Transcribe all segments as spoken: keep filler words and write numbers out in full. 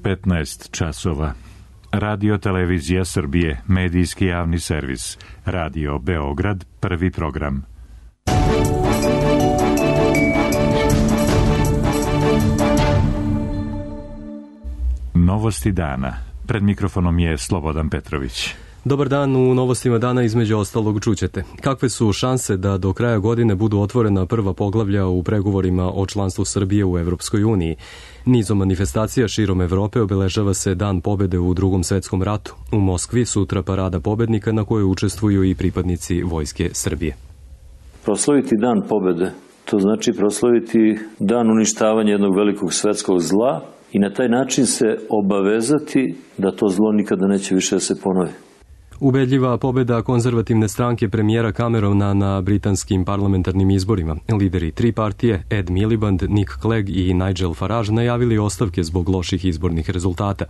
petnaest časova. Radio Televizija Srbije, medijski javni servis. Radio Beograd, prvi program. Novosti dana. Pred mikrofonom je Slobodan Petrović. Dobar dan, u novostima dana između ostalog čućete. Kakve su šanse da do kraja godine budu otvorena prva poglavlja u pregovorima o članstvu Srbije u Evropskoj uniji? Nizom manifestacija širom Evrope obeležava se Dan pobede u Drugom svetskom ratu. U Moskvi sutra parada pobednika na kojoj učestvuju i pripadnici Vojske Srbije. Proslaviti Dan pobede, to znači proslaviti dan uništavanja jednog velikog svetskog zla i na taj način se obavezati da to zlo nikada neće više da se ponovi. Ubedljiva pobeda konzervativne stranke premijera Camerona na britanskim parlamentarnim izborima. Lideri tri partije, Ed Miliband, Nick Clegg i Nigel Farage, najavili ostavke zbog loših izbornih rezultata.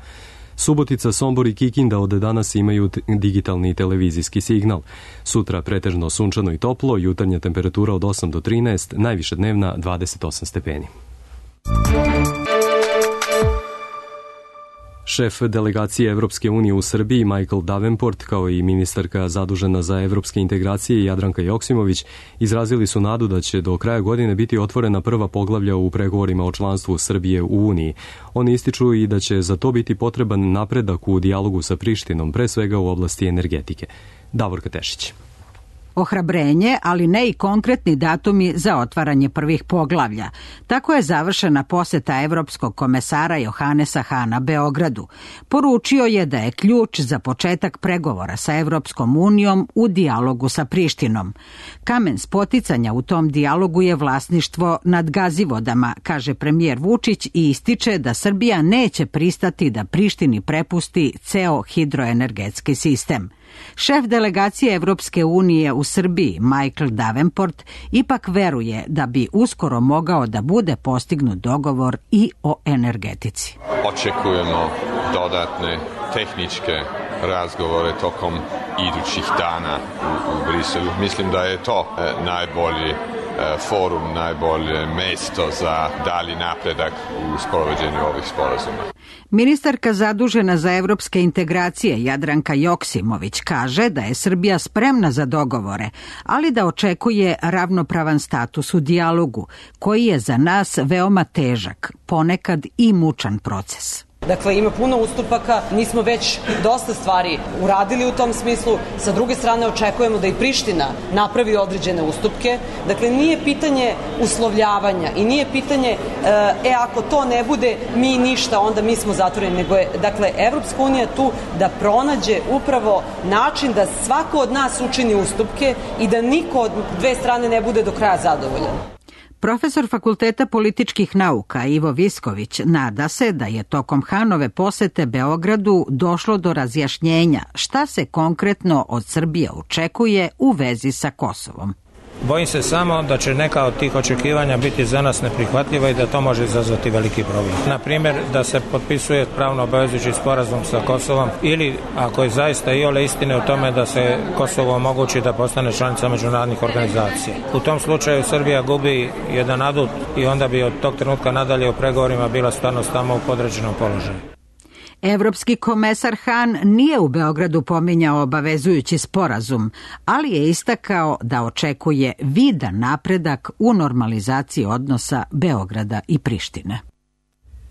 Subotica, Sombor i Kikinda od danas imaju digitalni televizijski signal. Sutra pretežno sunčano i toplo, jutarnja temperatura od osam do trinaest, najviša dnevna dvadeset osam stepeni. Šef delegacije Evropske unije u Srbiji Michael Davenport, kao i ministarka zadužena za evropske integracije Jadranka Joksimović, izrazili su nadu da će do kraja godine biti otvorena prva poglavlja u pregovorima o članstvu Srbije u Uniji. Oni ističu i da će za to biti potreban napredak u dijalogu sa Prištinom, pre svega u oblasti energetike. Davorka Tešić. Ohrabrenje, ali ne i konkretni datumi za otvaranje prvih poglavlja. Tako je završena poseta evropskog komesara Johanesa Hana Beogradu. Poručio je da je ključ za početak pregovora sa Evropskom unijom u dijalogu sa Prištinom. Kamen spoticanja u tom dijalogu je vlasništvo nad gazivodama, kaže premijer Vučić i ističe da Srbija neće pristati da Prištini prepusti ceo hidroenergetski sistem. Šef delegacije Evropske unije u Srbiji, Michael Davenport, ipak veruje da bi uskoro mogao da bude postignut dogovor i o energetici. Očekujemo dodatne tehničke razgovore tokom idućih dana u, u Briselu. Mislim da je to e, najbolji e, forum, najbolje mesto za dalji napredak u sprovođenju ovih sporazuma. Ministarka zadužena za evropske integracije Jadranka Joksimović kaže da je Srbija spremna za dogovore, ali da očekuje ravnopravan status u dijalogu, koji je za nas veoma težak, ponekad i mučan proces. Dakle, ima puno ustupaka, mi smo već dosta stvari uradili u tom smislu, sa druge strane očekujemo da i Priština napravi određene ustupke, dakle nije pitanje uslovljavanja i nije pitanje, e, ako to ne bude mi ništa, onda mi smo zatvoreni, nego je, dakle, Evropska unija tu da pronađe upravo način da svako od nas učini ustupke i da niko od dve strane ne bude do kraja zadovoljan. Profesor Fakulteta političkih nauka Ivo Visković nada se da je tokom Hanove posete Beogradu došlo do razjašnjenja šta se konkretno od Srbije očekuje u vezi sa Kosovom. Bojim se samo da će neka od tih očekivanja biti za nas neprihvatljiva i da to može izazvati veliki problem. Na primjer, da se potpisuje pravno obavezujući sporazum sa Kosovom ili, ako je zaista iole istine u tome, da se Kosovo omogući da postane članica međunarodnih organizacija. U tom slučaju Srbija gubi jedan adut i onda bi od tog trenutka nadalje u pregovorima bila stvarno tamo u podređenom položaju. Evropski komesar Han nije u Beogradu pominjao obavezujući sporazum, ali je istakao da očekuje vidan napredak u normalizaciji odnosa Beograda i Prištine.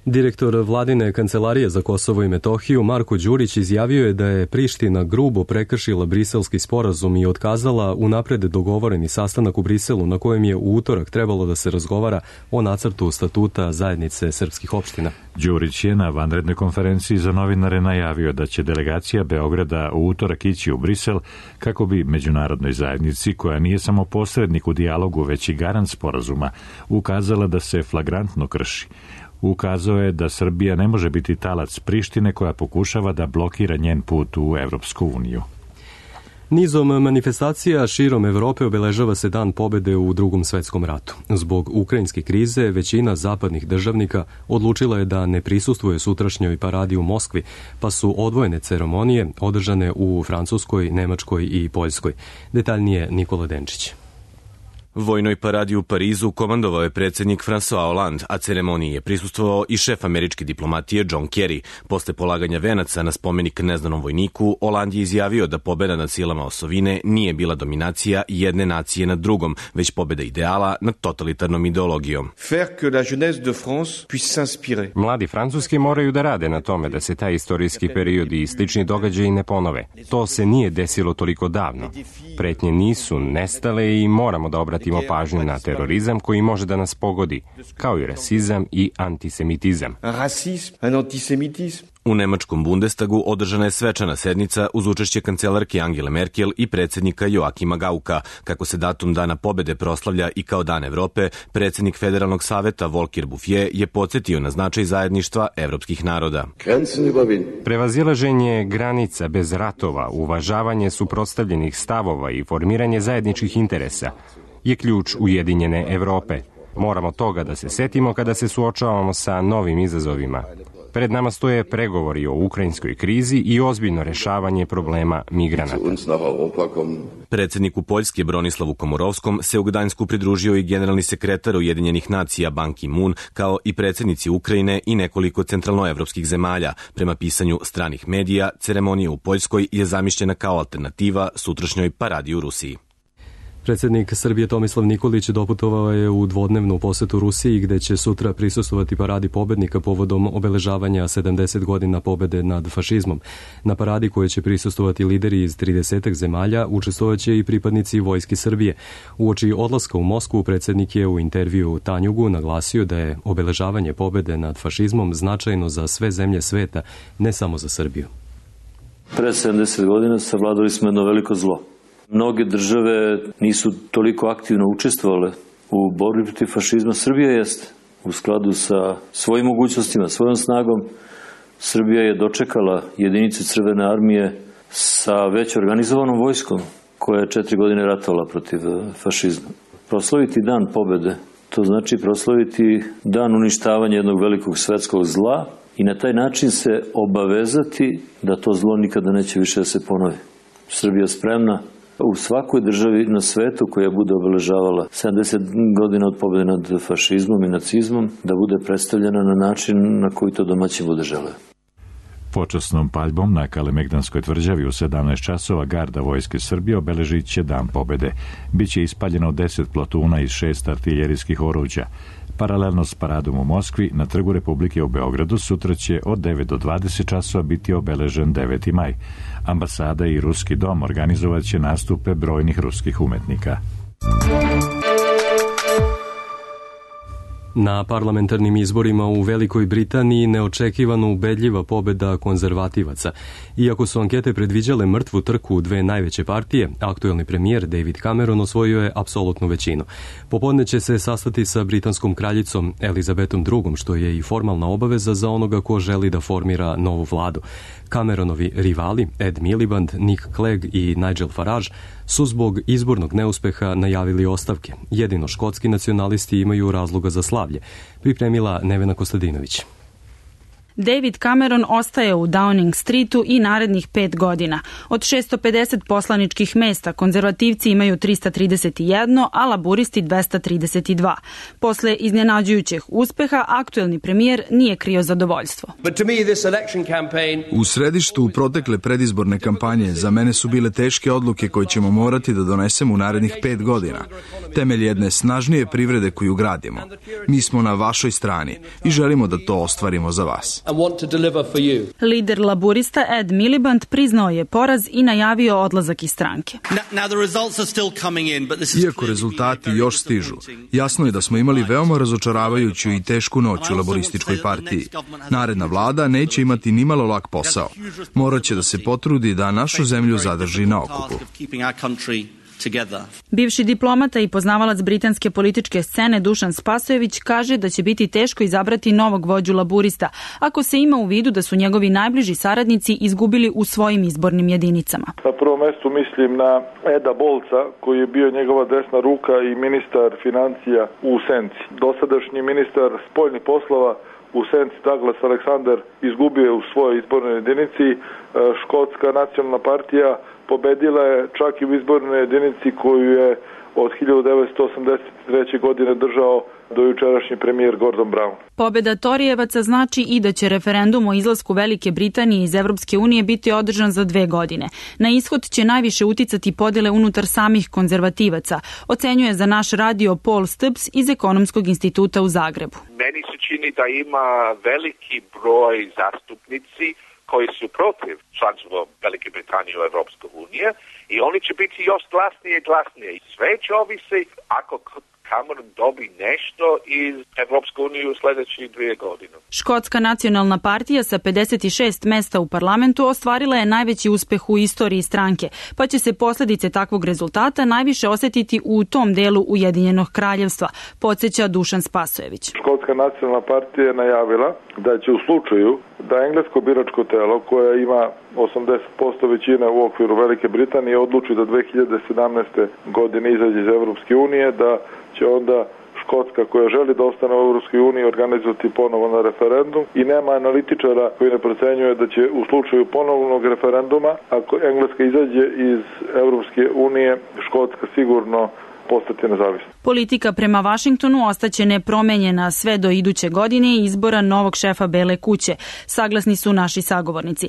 Direktor vladine kancelarije za Kosovo i Metohiju Marko Đurić izjavio je da je Priština grubo prekršila briselski sporazum i otkazala unapred dogovoreni sastanak u Briselu na kojem je u utorak trebalo da se razgovara o nacrtu statuta zajednice srpskih opština. Đurić je na vanrednoj konferenciji za novinare najavio da će delegacija Beograda u utorak ići u Brisel kako bi međunarodnoj zajednici, koja nije samo posrednik u dijalogu već i garant sporazuma, ukazala da se flagrantno krši. Ukazao je da Srbija ne može biti talac Prištine koja pokušava da blokira njen put u Evropsku uniju. Nizom manifestacija širom Evrope obeležava se Dan pobede u Drugom svetskom ratu. Zbog ukrajinske krize većina zapadnih državnika odlučila je da ne prisustvuje sutrašnjoj paradi u Moskvi, pa su odvojene ceremonije održane u Francuskoj, Nemačkoj i Poljskoj. Detaljnije Nikola Denčić. Vojnoj paradi u Parizu komandovao je predsjednik François Hollande, a ceremoniji je prisustvovao i šef američke diplomatije John Kerry. Posle polaganja venaca na spomenik neznanom vojniku, Hollande je izjavio da pobeda nad silama osovine nije bila dominacija jedne nacije nad drugom, već pobeda ideala nad totalitarnom ideologijom. Mladi Francuski moraju da rade na tome da se taj istorijski period i slični događaji ne ponove. To se nije desilo toliko davno. Pretnje nisu nestale i moramo da obratimo Imamo pažnju na terorizam koji može da nas pogodi, kao i rasizam i antisemitizam. U nemačkom Bundestagu održana je svečana sednica uz učešće kancelarke Angele Merkel i predsjednika Joakima Gauka. Kako se datum Dana pobede proslavlja i kao Dan Evrope, predsjednik Federalnog saveta Volker Bouffier je podsjetio na značaj zajedništva evropskih naroda. Prevazilaženje granica bez ratova, uvažavanje suprotstavljenih stavova i formiranje zajedničkih interesa je ključ ujedinjene Evrope. Moramo toga da se setimo kada se suočavamo sa novim izazovima. Pred nama stoje pregovori o ukrajinskoj krizi i ozbiljno rešavanje problema migranata. Predsjedniku Poljske Bronislavu Komorovskom se u Gdańsku pridružio i generalni sekretar Ujedinjenih nacija Ban Ki-moon, kao i predsjednici Ukrajine i nekoliko centralnoevropskih zemalja. Prema pisanju stranih medija, ceremonija u Poljskoj je zamišljena kao alternativa sutrašnjoj paradi u Rusiji. Predsjednik Srbije Tomislav Nikolić doputovao je u dvodnevnu posetu Rusiji, gde će sutra prisustvovati paradi pobednika povodom obeležavanja sedamdeset godina pobede nad fašizmom. Na paradi koje će prisustvovati lideri iz tridesetak zemalja učestvovaće i pripadnici Vojske Srbije. Uoči odlaska u Moskvu predsjednik je u intervju Tanjugu naglasio da je obeležavanje pobede nad fašizmom značajno za sve zemlje sveta, ne samo za Srbiju. Pre sedamdeset godina savladali smo jedno veliko zlo. Mnoge države nisu toliko aktivno učestvovale u borbi protiv fašizma. Srbija jeste u skladu sa svojim mogućnostima, svojom snagom. Srbija je dočekala jedinice Crvene armije sa već organizovanom vojskom koja je četiri godine ratovala protiv fašizma. Proslaviti Dan pobede, to znači proslaviti dan uništavanja jednog velikog svetskog zla i na taj način se obavezati da to zlo nikada neće više da se ponovi. Srbija je spremna u svakoj državi na svetu koja bude obeležavala sedamdeset godina od pobjede nad fašizmom i nacizmom da bude predstavljena na način na koji to domaćin bude želeo. Počasnom paljbom na Kalemegdanskoj tvrđavi u sedamnaest časova garda Vojske Srbije obeležit će Dan pobjede. Biće ispaljeno deset plotuna iz šest artiljerijskih oruđa. Paralelno s paradom u Moskvi, na Trgu Republike u Beogradu sutra će od devet do dvadeset časova biti obeležen deveti maj. Ambasada i Ruski dom organizovat će nastupe brojnih ruskih umetnika. Na parlamentarnim izborima u Velikoj Britaniji neočekivano ubedljiva pobeda konzervativaca. Iako su ankete predviđale mrtvu trku u dve najveće partije, aktuelni premijer David Cameron osvojio je apsolutnu većinu. Popodne će se sastati sa britanskom kraljicom Elizabetom drugom, što je i formalna obaveza za onoga ko želi da formira novu vladu. Cameronovi rivali Ed Miliband, Nick Clegg i Nigel Farage su zbog izbornog neuspeha najavili ostavke. Jedino škotski nacionalisti imaju razloga za slavlje, pripremila Nevena Kostadinović. David Cameron ostaje u Downing Streetu i narednih pet godina. Od šesto pedeset poslaničkih mesta konzervativci imaju trista trideset jedan, a laburisti dvesta trideset dva. Posle iznenađujućeg uspeha, aktuelni premijer nije krio zadovoljstvo. U središtu protekle predizborne kampanje za mene su bile teške odluke koje ćemo morati da donesemo u narednih pet godina. Temelj jedne snažnije privrede koju gradimo. Mi smo na vašoj strani i želimo da to ostvarimo za vas. Lider laburista Ed Miliband priznao je poraz i najavio odlazak iz stranke. Iako rezultati još stižu, jasno je da smo imali veoma razočaravajuću i tešku noć u laborističkoj partiji. Naredna vlada neće imati nimalo lak posao. Morat će da se potrudi da našu zemlju zadrži na okupu. Bivši diplomata i poznavalac britanske političke scene Dušan Spasojević kaže da će biti teško izabrati novog vođu laburista ako se ima u vidu da su njegovi najbliži saradnici izgubili u svojim izbornim jedinicama. Na prvom mestu mislim na Eda Bolca, koji je bio njegova desna ruka i ministar financija u senci. Dosadašnji ministar spoljnih poslova u senci Douglas Alexander izgubio u svojoj izbornoj jedinici. Škotska nacionalna partija pobedila je čak i u izbornoj jedinici koju je od hiljadu devetsto osamdeset treće. godine držao dojučerašnji premijer Gordon Brown. Pobeda Torijevaca znači i da će referendum o izlasku Velike Britanije iz Evropske unije biti održan za dve godine. Na ishod će najviše uticati podele unutar samih konzervativaca, ocenjuje za naš radio Paul Stubbs iz Ekonomskog instituta u Zagrebu. Meni se čini da ima veliki broj zastupnici koji su protiv članstva Velike Britanije u Evropskoj uniji i oni će biti još glasnije i glasnije. I sve će ovisi ako Cameron dobi nešto iz Evropske unije u sljedećih dvije godine. Škotska nacionalna partija sa pedeset šest mesta u parlamentu ostvarila je najveći uspeh u istoriji stranke, pa će se posljedice takvog rezultata najviše osjetiti u tom delu Ujedinjenog kraljevstva, podsjeća Dušan Spasojević. Škotska nacionalna partija je najavila da će u slučaju da englesko biračko telo koje ima osamdeset posto većine u okviru Velike Britanije odluči da dve hiljade sedamnaeste. godine izađe iz Evropske unije, da će onda Škotska koja želi da ostane u Evropskoj uniji organizovati ponovo na referendum i nema analitičara koji ne procenjuje da će u slučaju ponovnog referenduma, ako Engleska izađe iz Evropske unije, Škotska sigurno postati nezavisna. Politika prema Vašingtonu ostaće nepromenjena sve do iduće godine i izbora novog šefa Bele kuće, saglasni su naši sagovornici.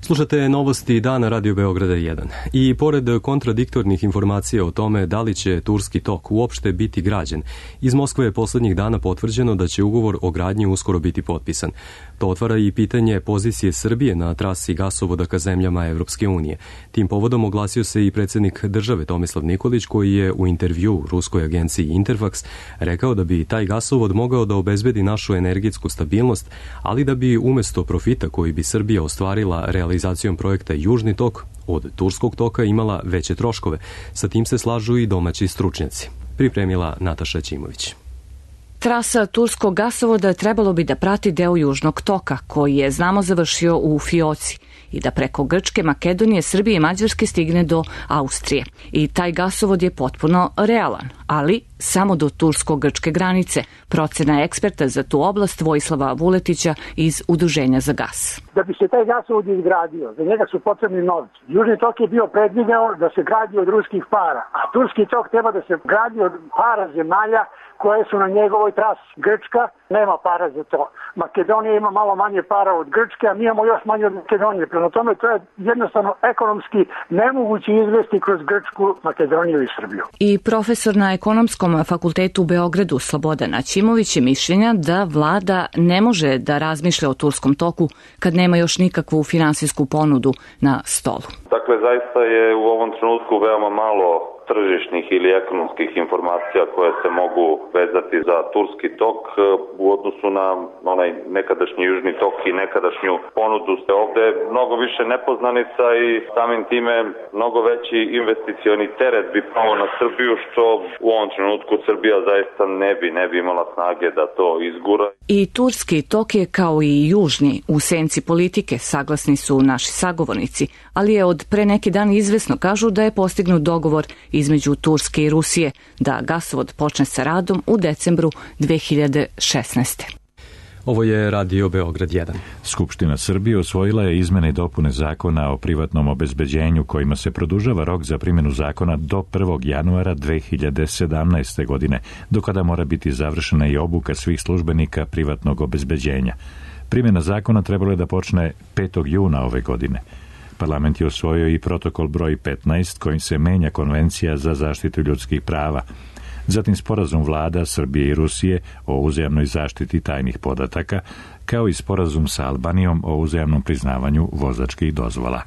Slušate novosti dana Radio Beograda jedan. I pored kontradiktornih informacija o tome da li će Turski tok uopšte biti građen, iz Moskve je posljednjih dana potvrđeno da će ugovor o gradnji uskoro biti potpisan. To otvara i pitanje pozicije Srbije na trasi gasovoda ka zemljama Evropske unije. Tim povodom oglasio se i predsjednik države Tomislav Nikolić, koji je u intervju ruskoj agenciji Interfax rekao da bi taj gasovod mogao da obezbedi našu energetsku stabilnost, ali da bi umjesto profita koji bi Srbija ostvarila realizacijom projekta Južni tok od Turskog toka imala veće troškove. Sa tim se slažu i domaći stručnjaci. Pripremila Nataša Ćimović. Trasa turskog gasovoda trebalo bi da prati deo Južnog toka, koji je, znamo, završio u Fioci i da preko Grčke, Makedonije, Srbije i Mađarske stigne do Austrije. I taj gasovod je potpuno realan, ali samo do tursko-grčke granice. Procena eksperta za tu oblast Vojislava Vuletića iz Udruženja za gas. Da bi se taj gasovod izgradio, za njega su potrebni novci. Južni tok je bio predvideo da se gradi od ruskih para, a turski tok treba da se gradi od para zemalja koje su na njegovoj trasi. Grčka nema para za to. Makedonija ima malo manje para od Grčke, a mi imamo još manje od Makedonije. Prema tome, to je jednostavno ekonomski nemoguće izvesti kroz Grčku, Makedoniju i Srbiju. I profesor na Ekonomskom fakultetu u Beogradu Slobodan Aćimović je mišljenja da vlada ne može da razmišlja o Turskom toku kad nema još nikakvu finansijsku ponudu na stolu. Dakle, zaista je u ovom trenutku veoma malo tržišnih ili ekonomskih informacija koje se mogu vezati za Turski tok u odnosu na onaj nekadašnji Južni tok i nekadašnju ponudu. Ovde je mnogo više nepoznanica i samim time mnogo veći investicioni teret bi pao na Srbiju, što u ovom trenutku Srbija zaista ne bi, ne bi imala snage da to izgura. I Turski tok je kao i Južni u senci politike, saglasni su naši sagovornici, ali je od pre neki dan izvesno, kažu, da je postignut dogovor između Turske i Rusije da gasovod počne sa radom u decembru dve hiljade šesnaeste. Ovo je Radio Beograd jedan. Skupština Srbije usvojila je izmene i dopune zakona o privatnom obezbeđenju kojima se produžava rok za primjenu zakona do prvog januara dve hiljade sedamnaeste. godine, do kada mora biti završena i obuka svih službenika privatnog obezbeđenja. Primjena zakona trebalo je da počne petog juna ove godine. Parlament je usvojio i protokol broj petnaest kojim se menja Konvencija za zaštitu ljudskih prava. Zatim sporazum vlada Srbije i Rusije o uzajamnoj zaštiti tajnih podataka, kao i sporazum sa Albanijom o uzajamnom priznavanju vozačkih dozvola.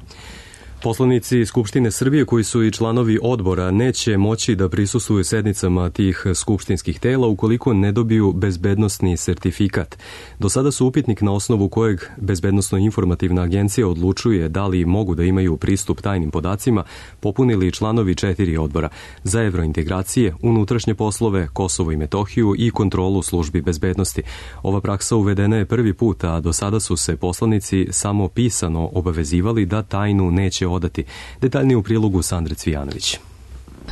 Poslanici Skupštine Srbije koji su i članovi odbora neće moći da prisustvuju sednicama tih skupštinskih tela ukoliko ne dobiju bezbednosni sertifikat. Do sada su upitnik na osnovu kojeg Bezbednosno-informativna agencija odlučuje da li mogu da imaju pristup tajnim podacima popunili članovi četiri odbora za evrointegracije, unutrašnje poslove, Kosovo i Metohiju i kontrolu službi bezbednosti. Ova praksa uvedena je prvi put, a do sada su se poslanici samo pisano obavezivali da tajnu neće odati. Detaljnije u prilogu Sandre Cvijanović.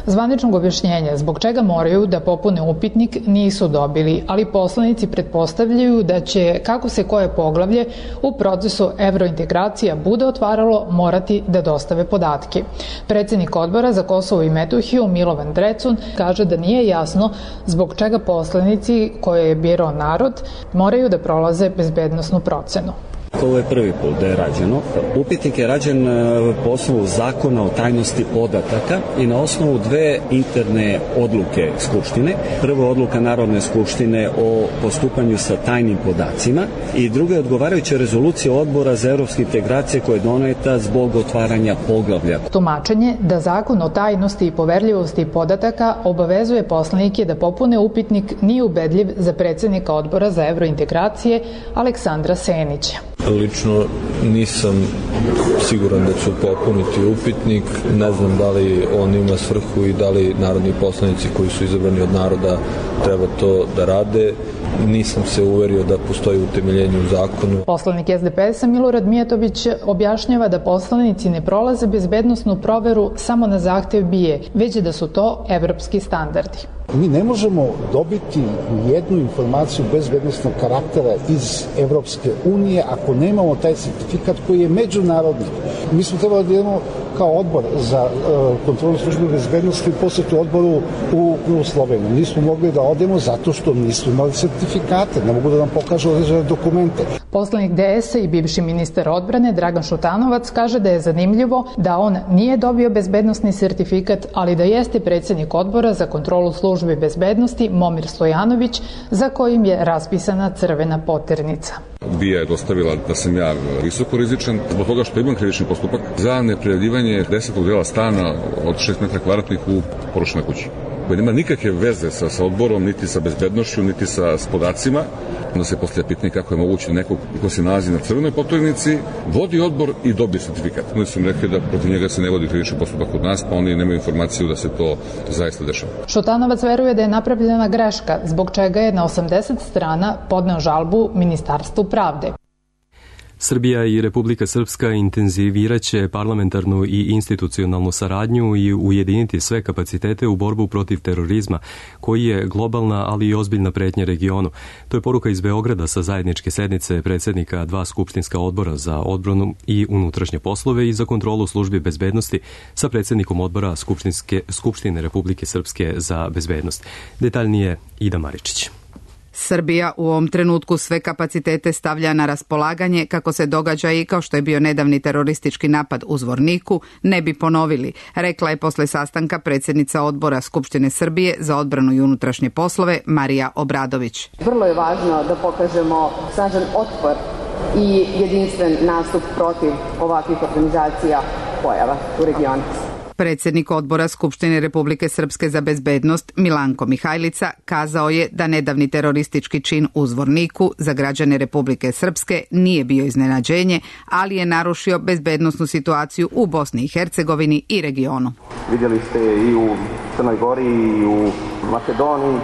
Zvaničnog objašnjenja zbog čega moraju da popune upitnik nisu dobili, ali poslanici pretpostavljaju da će, kako se koje poglavlje u procesu evrointegracija bude otvaralo, morati da dostave podatke. Predsednik odbora za Kosovo i Metohiju Milovan Drecun kaže da nije jasno zbog čega poslanici koje je birao narod moraju da prolaze bezbednosnu procenu. Ovo je prvi put da je rađeno. Upitnik je rađen po osnovu zakona o tajnosti podataka i na osnovu dve interne odluke Skupštine. Prva odluka Narodne skupštine o postupanju sa tajnim podacima i druga je odgovarajuća rezolucija Odbora za evropske integracije koja je doneta zbog otvaranja poglavlja. Tumačenje da zakon o tajnosti i poverljivosti podataka obavezuje poslanike da popune upitnik nije ubedljiv za predsednika Odbora za evrointegracije Aleksandra Senića. Lično nisam siguran da ću popuniti upitnik, ne znam da li on ima svrhu i da li narodni poslanici koji su izabrani od naroda treba to da rade. Nisam se uverio da postoji utemeljenje u zakonu. Poslanik S D P S-a Milorad Mijatović objašnjava da poslanici ne prolaze bezbednosnu proveru samo na zahtev B I A, već da su to evropski standardi. Mi ne možemo dobiti jednu informaciju bezbednosnog karaktera iz Evropske unije ako nemamo taj sertifikat koji je međunarodni. Mi smo trebali da idemo kao odbor za uh, kontrolu službe bezbednosti posjetu odboru u, u Sloveniju. Nismo mogli da odemo zato što nismo imali sertifikate, ne mogu da nam pokažu određene dokumente. Poslanik D S-a i bivši ministar odbrane Dragan Šutanovac kaže da je zanimljivo da on nije dobio bezbednosni sertifikat, ali da jeste predsednik odbora za kontrolu službe bezbednosti Momir Stojanović, za kojim je raspisana crvena poternica. B I A je dostavila da sam ja visoko rizičan zbog toga što imam krivični postupak za neprijavljivanje desetog dela stana od šest metara kvadratnih u porušenoj kući, koji nema nikakve veze sa, sa odborom, niti sa bezbednošću, niti sa s podacima. Onda se postavlja pitanje kako je moguće nekog ko se nalazi na crvenoj poternici, vodi odbor i dobije sertifikat. Oni su mi rekli da protiv njega se ne vodi krivični postupak kod nas, pa oni nemaju informaciju da se to zaista dešava. Šutanovac veruje da je napravljena greška, zbog čega je na osamdeset strana podneo žalbu Ministarstvu pravde. Srbija i Republika Srpska intenziviraće parlamentarnu i institucionalnu saradnju i ujediniti sve kapacitete u borbu protiv terorizma, koji je globalna, ali i ozbiljna pretnja regionu. To je poruka iz Beograda sa zajedničke sednice predsednika dva skupštinska odbora za odbranu i unutrašnje poslove i za kontrolu službi bezbednosti sa predsednikom odbora Skupštinske, Skupštine Republike Srpske za bezbednost. Detaljnije Ida Maričić. Srbija u ovom trenutku sve kapacitete stavlja na raspolaganje kako se događaji kao što je bio nedavni teroristički napad u Zvorniku ne bi ponovili, rekla je posle sastanka predsjednica odbora Skupštine Srbije za odbranu i unutrašnje poslove Marija Obradović. Vrlo je važno da pokažemo snažan otpor i jedinstven nastup protiv ovakvih organizacija pojava u regionu. Predsjednik odbora Skupštine Republike Srpske za bezbednost Milanko Mihajlica kazao je da nedavni teroristički čin u Zvorniku za građane Republike Srpske nije bio iznenađenje, ali je narušio bezbednosnu situaciju u Bosni i Hercegovini i regionu. Vidjeli ste i u Crnoj Gori i u Makedoniji,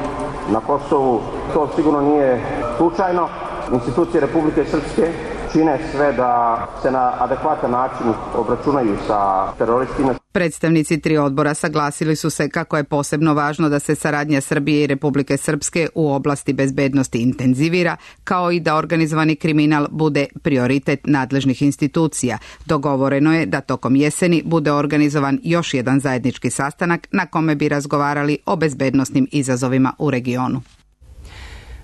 na Kosovu. To sigurno nije slučajno. Institucije Republike Srpske čine sve da se na adekvatan način obračunaju sa teroristima. Predstavnici tri odbora saglasili su se kako je posebno važno da se saradnja Srbije i Republike Srpske u oblasti bezbednosti intenzivira, kao i da organizovani kriminal bude prioritet nadležnih institucija. Dogovoreno je da tokom jeseni bude organizovan još jedan zajednički sastanak na kome bi razgovarali o bezbednosnim izazovima u regionu.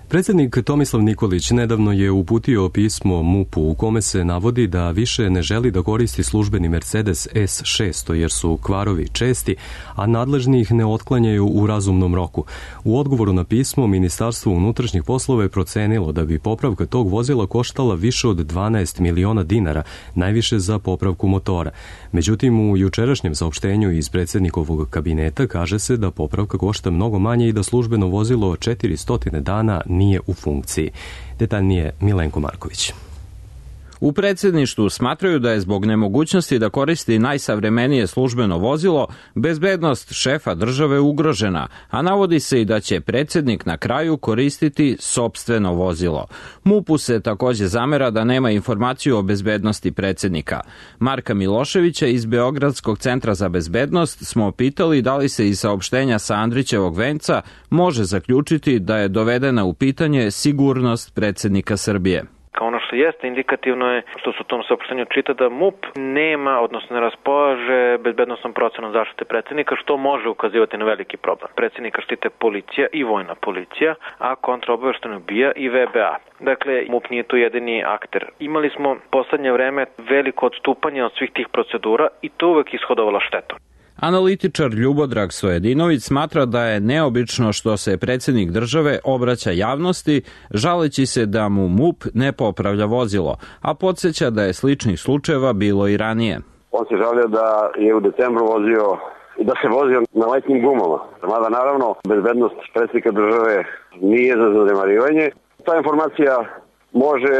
Predsjednik Tomislav Nikolić nedavno je uputio pismo M U P-u u kome se navodi da više ne želi da koristi službeni Mercedes S šesto jer su kvarovi česti, a nadležni ih ne otklanjaju u razumnom roku. U odgovoru na pismo Ministarstvo unutrašnjih poslova je procenilo da bi popravka tog vozila koštala više od dvanaest miliona dinara, najviše za popravku motora. Međutim, u jučerašnjem saopštenju iz predsjednikovog kabineta kaže se da popravka košta mnogo manje i da službeno vozilo četiristo dana nije u funkciji. Detaljnije Milenko Marković. U predsjedništvu smatraju da je zbog nemogućnosti da koristi najsavremenije službeno vozilo, bezbednost šefa države ugrožena, a navodi se i da će predsjednik na kraju koristiti sopstveno vozilo. MUP-u se takođe zamera da nema informaciju o bezbednosti predsjednika. Marka Miloševića iz Beogradskog centra za bezbednost smo pitali da li se iz saopštenja sa Andrićevog venca može zaključiti da je dovedena u pitanje sigurnost predsjednika Srbije. Ono što jeste indikativno je što se u tom saopštenju čita da MUP nema, odnosno ne raspolaže bezbednosnom procenom zaštite predsjednika, što može ukazivati na veliki problem. Predsjednika štite policija i vojna policija, a kontraobaveštajno B I A i V B A. Dakle, MUP nije tu jedini akter. Imali smo poslednje vreme veliko odstupanje od svih tih procedura i to uvek ishodovalo štetu. Analitičar Ljubodrag Sojedinović smatra da je neobično što se predsjednik države obraća javnosti, žaleći se da mu MUP ne popravlja vozilo, a podsjeća da je sličnih slučajeva bilo i ranije. On se žalio da je u decembru vozio i da se vozio na letnjim gumama. Mada naravno bezbednost predsjednika države nije za zanemarivanje. Ta informacija može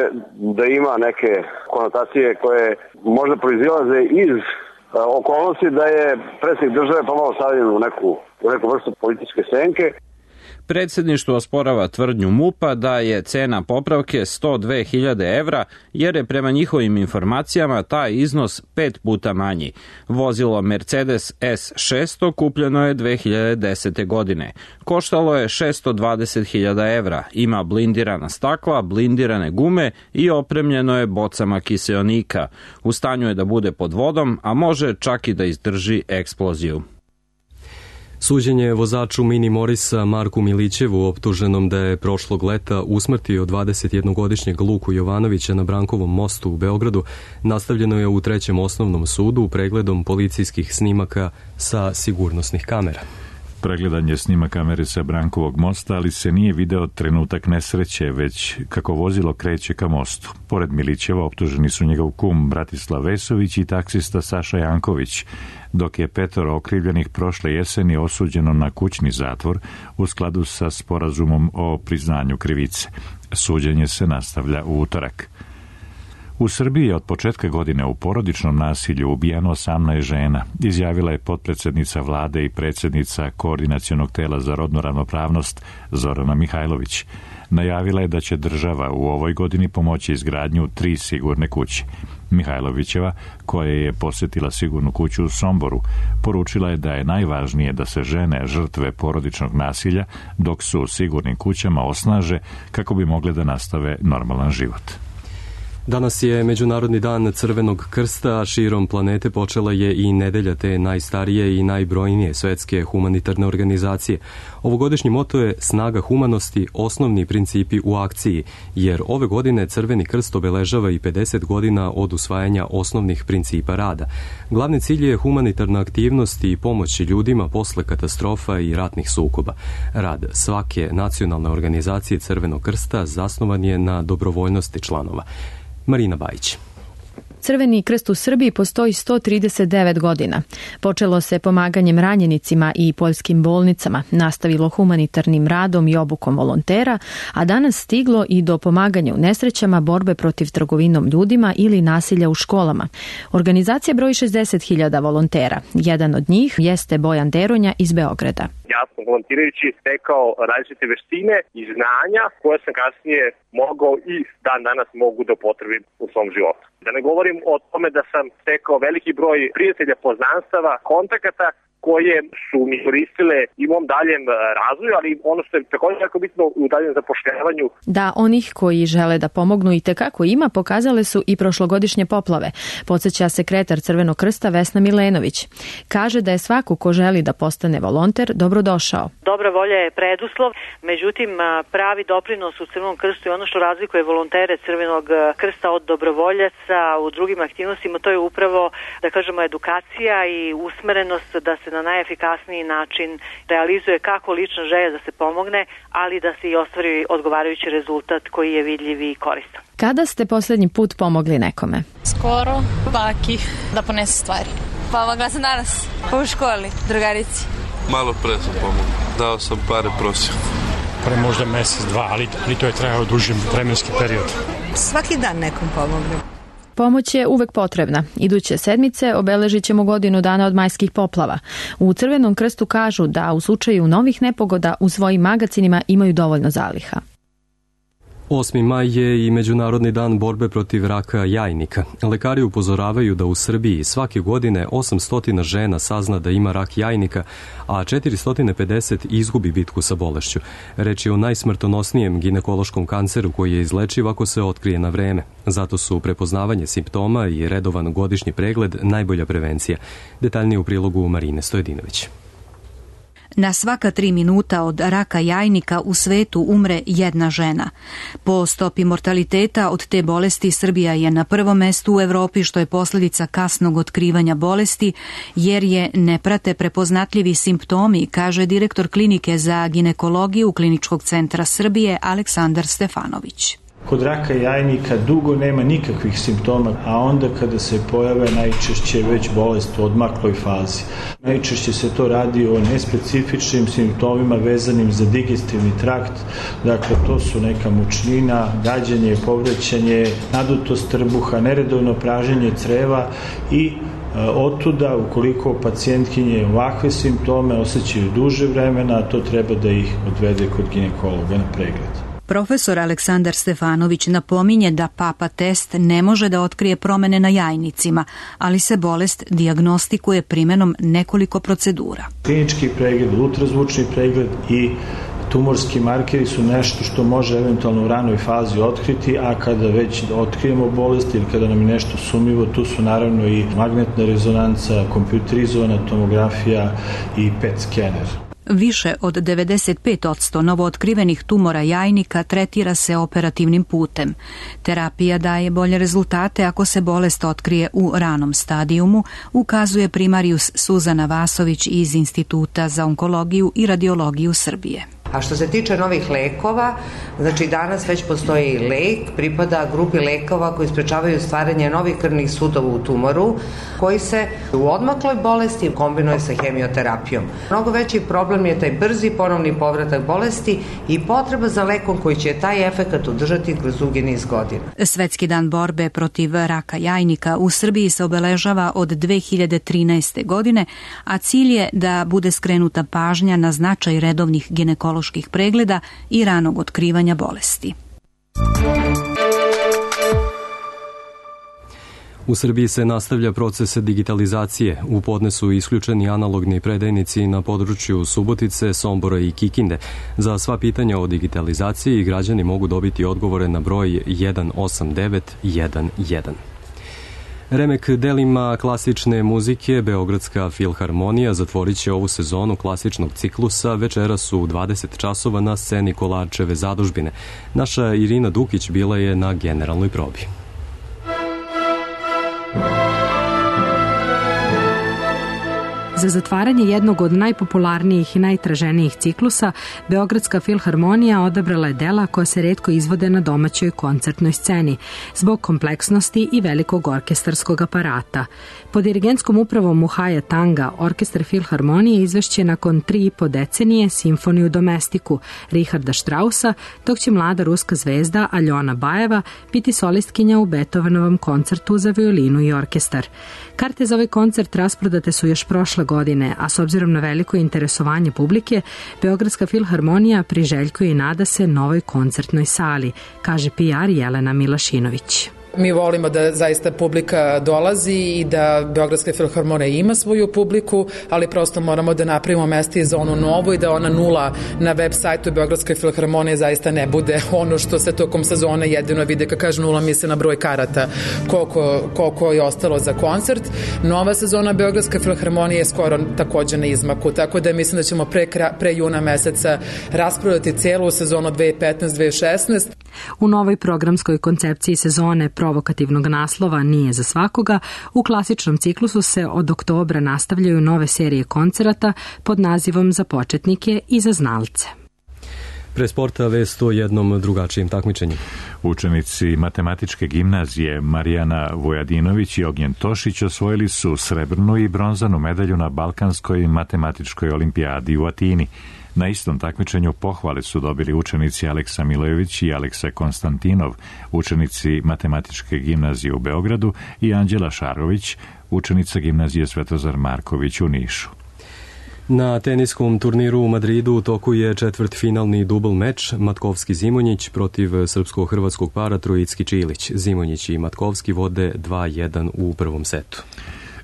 da ima neke konotacije koje možda proizilaze iz okolnosti da je predsjednik države pomalo stavljen u neku, u neku vrstu političke senke. Predsjedništvo osporava tvrdnju MUP-a da je cena popravke sto dve hiljade evra, jer je prema njihovim informacijama taj iznos pet puta manji. Vozilo Mercedes S šesto kupljeno je dve hiljade desete. godine. Koštalo je šesto dvadeset hiljada evra, ima blindirana stakla, blindirane gume i opremljeno je bocama kiseonika. U stanju je da bude pod vodom, a može čak i da izdrži eksploziju. Suđenje vozaču Mini Morisa Marku Milićevu, optuženom da je prošlog leta usmrtio dvadesetjednogodišnjeg Luku Jovanovića na Brankovom mostu u Beogradu, nastavljeno je u trećem osnovnom sudu pregledom policijskih snimaka sa sigurnosnih kamera. Pregledan je snima kamere sa Brankovog mosta, ali se nije video trenutak nesreće, već kako vozilo kreće ka mostu. Pored Milićeva optuženi su njegov kum Bratislav Vesović i taksista Saša Janković, dok je petoro okrivljenih prošle jeseni osuđeno na kućni zatvor u skladu sa sporazumom o priznanju krivice. Suđenje se nastavlja u utorak. U Srbiji je od početka godine u porodičnom nasilju ubijano osamnaest žena, izjavila je potpredsednica vlade i predsjednica Koordinacionog tela za rodnu ravnopravnost Zorana Mihajlović. Najavila je da će država u ovoj godini pomoći izgradnju tri sigurne kuće. Mihajlovićeva, koja je posjetila sigurnu kuću u Somboru, poručila je da je najvažnije da se žene žrtve porodičnog nasilja, dok su u sigurnim kućama, osnaže kako bi mogle da nastave normalan život. Danas je Međunarodni dan Crvenog krsta, a širom planete počela je i nedelja te najstarije i najbrojnije svetske humanitarne organizacije. Ovogodišnji moto je Snaga humanosti, osnovni principi u akciji, jer ove godine Crveni krst obeležava i pedeset godina od usvajanja osnovnih principa rada. Glavni cilj je humanitarna aktivnost i pomoć ljudima posle katastrofa i ratnih sukoba. Rad svake nacionalne organizacije Crvenog krsta zasnovan je na dobrovoljnosti članova. Marina Bajić. Crveni krst u Srbiji postoji sto trideset devet godina. Počelo se pomaganjem ranjenicima i poljskim bolnicama, nastavilo humanitarnim radom i obukom volontera, a danas stiglo i do pomaganja u nesrećama, borbe protiv trgovinom ljudima ili nasilja u školama. Organizacija broji šezdeset hiljada volontera. Jedan od njih jeste Bojan Deronja iz Beograda. Ja sam volontirajući stekao različite veštine i znanja koje sam kasnije mogao i dan danas mogu da upotrebim u svom životu. Da ne govorim o tome da sam stekao veliki broj prijatelja, poznanstava, kontakata koje su mi koristile i u mom daljem razvoju, ali ono što je također jako bitno u daljem zapošljavanju. Da, onih koji žele da pomognu i tekako ima, pokazale su i prošlogodišnje poplave. Podsjeća sekretar Crvenog krsta Vesna Milenović. Kaže da je svako ko želi da postane volonter dobrodošao. Dobra volja je preduslov, međutim pravi doprinos u Crvenom krstu je ono što razlikuje volontere Crvenog krsta od dobrovoljaca u drugim aktivnostima, to je upravo, da kažemo, edukacija i usmerenost da se na najefikasniji način realizuje kako lična želja da se pomogne, ali da se i ostvari odgovarajući rezultat koji je vidljiv i koristan. Kada ste poslednji put pomogli nekome? Skoro, baki, da ponese stvari. Pomogla sam danas, u školi, drugarici. Malo pre sam pomogla, dao sam pare prosjeku. Pre možda mesec, dva, ali, ali to je trajao duži vremenski period. Svaki dan nekom pomognem. pomoć je uvek potrebna. Iduće sedmice obeležit ćemo godinu dana od majskih poplava. U Crvenom krstu kažu da u slučaju novih nepogoda u svojim magacinima imaju dovoljno zaliha. osmi maj je i Međunarodni dan borbe protiv raka jajnika. Lekari upozoravaju da u Srbiji svake godine osamsto žena sazna da ima rak jajnika, a četiristo pedeset izgubi bitku sa bolešću. Reč je o najsmrtonosnijem ginekološkom kanceru koji je izlečiv ako se otkrije na vreme. Zato su prepoznavanje simptoma i redovan godišnji pregled najbolja prevencija. Detaljnije u prilogu Marine Stojedinović. Na svaka tri minuta od raka jajnika u svetu umre jedna žena. Po stopi mortaliteta od te bolesti Srbija je na prvom mestu u Evropi, što je posljedica kasnog otkrivanja bolesti, jer je ne prate prepoznatljivi simptomi, kaže direktor klinike za ginekologiju Kliničkog centra Srbije Aleksandar Stefanović. Kod raka jajnika dugo nema nikakvih simptoma, a onda kada se pojave najčešće već bolest u odmakloj fazi. Najčešće se to radi o nespecifičnim simptomima vezanim za digestivni trakt, dakle to su neka mučnina, gađanje, povraćanje, nadutost trbuha, neredovno praženje creva i otuda, ukoliko pacijentkinje ovakve simptome osjećaju duže vremena, to treba da ih odvede kod ginekologa na pregled. Profesor Aleksandar Stefanović napominje da papa test ne može da otkrije promene na jajnicima, ali se bolest dijagnostikuje primenom nekoliko procedura. Klinički pregled, ultrazvučni pregled i tumorski markeri su nešto što može eventualno u ranoj fazi otkriti, a kada već otkrijemo bolest ili kada nam je nešto sumnjivo, tu su naravno i magnetna rezonanca, kompjuterizovana tomografija i P E T skener. Više od devedeset pet posto novootkrivenih tumora jajnika tretira se operativnim putem. Terapija daje bolje rezultate ako se bolest otkrije u ranom stadijumu, ukazuje primarijus Suzana Vasović iz Instituta za onkologiju i radiologiju Srbije. A što se tiče novih lekova, znači danas već postoji lek, pripada grupi lekova koji sprečavaju stvaranje novih krvnih sudova u tumoru, koji se u odmakloj bolesti kombinuje sa hemioterapijom. Mnogo veći problem je taj brzi ponovni povratak bolesti i potreba za lekom koji će taj efekat održati kroz dugi niz godina. Svetski dan borbe protiv raka jajnika u Srbiji se obeležava od dve hiljade trinaeste. godine, a cilj je da bude skrenuta pažnja na značaj redovnih ginekoloških pregleda i ranog otkrivanja bolesti. U Srbiji se nastavlja proces digitalizacije. U podne su isključeni analogni predajnici na području Subotice, Sombora i Kikinde. Za sva pitanja o digitalizaciji građani mogu dobiti odgovore na broj jedan osam devet jedan jedan. Remek delima klasične muzike Beogradska filharmonija zatvorit će ovu sezonu klasičnog ciklusa večeras u dvadeset časova na sceni Kolarčeve zadužbine. Naša Irina Dukić bila je na generalnoj probi. Za zatvaranje jednog od najpopularnijih i najtraženijih ciklusa, Beogradska filharmonija odabrala je dela koja se retko izvode na domaćoj koncertnoj sceni, zbog kompleksnosti i velikog orkestarskog aparata. Pod dirigentskom upravom Muhaja Tanga, orkestar filharmonije izvešće nakon tri i po decenije simfoniju domestiku Richarda Straussa, dok će mlada ruska zvezda Aljona Bajeva biti solistkinja u Beethovenovom koncertu za violinu i orkestar. Karte za ovaj koncert rasprodate su još prošle godine, a s obzirom na veliko interesovanje publike, Beogradska filharmonija priželjkuje i nada se novoj koncertnoj sali, kaže P R Jelena Milašinović. Mi volimo da zaista publika dolazi i da Beogradska filharmonija ima svoju publiku, ali prosto moramo da napravimo mesto i za onu novu i da ona nula na web sajtu Beogradske filharmonije zaista ne bude ono što se tokom sezone jedino vide. Kad kažu nula, misle na broj karata koliko, koliko je ostalo za koncert. Nova sezona Beogradske filharmonije je skoro takođe na izmaku, tako da mislim da ćemo pre, pre juna meseca rasprodati celu sezonu dve hiljade petnaeste dve hiljade šesnaeste. U novoj programskoj koncepciji sezone provokativnog naslova Nije za svakoga, u klasičnom ciklusu se od oktobra nastavljaju nove serije koncerata pod nazivom Za početnike i za znalce. Pre sporta vest o jednom drugačijem takmičenju. Učenici matematičke gimnazije Marijana Vojadinović i Ognjen Tošić osvojili su srebrnu i bronzanu medalju na Balkanskoj matematičkoj olimpijadi u Atini. Na istom takmičenju pohvale su dobili učenici Aleksa Milojević i Aleksa Konstantinov, učenici Matematičke gimnazije u Beogradu, i Anđela Šarović, učenica gimnazije Svetozar Marković u Nišu. Na teniskom turniru u Madridu u toku je četvrtfinalni dubl meč Matkovski-Zimonjić protiv srpsko-hrvatskog para Trojicki-Čilić. Zimonjić i Matkovski vode dva jedan u prvom setu.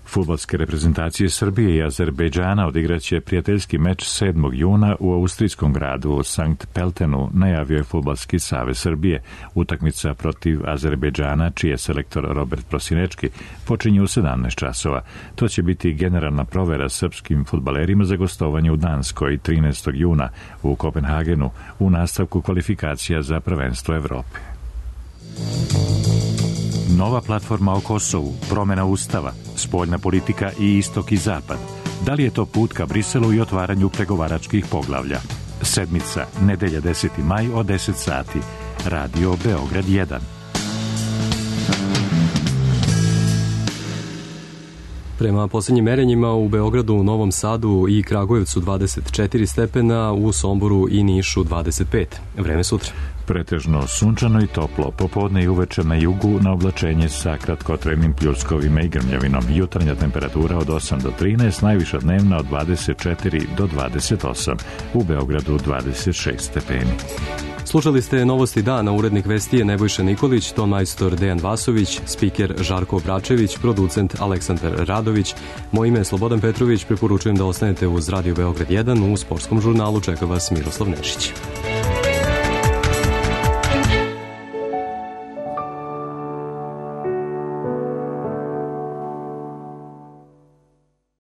Fudbalske reprezentacije Srbije i Azerbejdžana odigraće prijateljski meč sedmog juna u austrijskom gradu Sankt Peltenu, najavio je Fudbalski savez Srbije. Utakmica protiv Azerbejdžana, čiji je selektor Robert Prosinečki, počinje u sedamnaest časova. To će biti generalna provera srpskim fudbalerima za gostovanje u Danskoj trinaestog juna u Kopenhagenu u nastavku kvalifikacija za prvenstvo Evrope. Nova platforma o Kosovu, promjena ustava, spoljna politika i istok i zapad. Da li je to put ka Briselu i otvaranju pregovaračkih poglavlja? Sedmica, nedelja deseti maj od deset sati. Radio Beograd jedan. Prema posljednjim merenjima u Beogradu, Novom Sadu i Kragujevcu dvadeset četiri stepena, u Somboru i Nišu dvadeset pet. Vreme sutra. Pretežno sunčano i toplo, popodne i uveče na jugu na oblačenje sa kratkotrajnim pljuskovima i grmljavinom. Jutarnja temperatura od osam do trinaest, najviša dnevna od dvadeset četiri do dvadeset osam. U Beogradu dvadeset šest stepeni. Slušali ste novosti dana, urednik vesti je Nebojša Nikolić, ton majstor Dejan Vasović, spiker Žarko Bračević, producent Aleksandar Radović. Moje ime je Slobodan Petrović, preporučujem da ostanete uz Radio Beograd jedan, u sportskom žurnalu čeka vas Miroslav Nešić.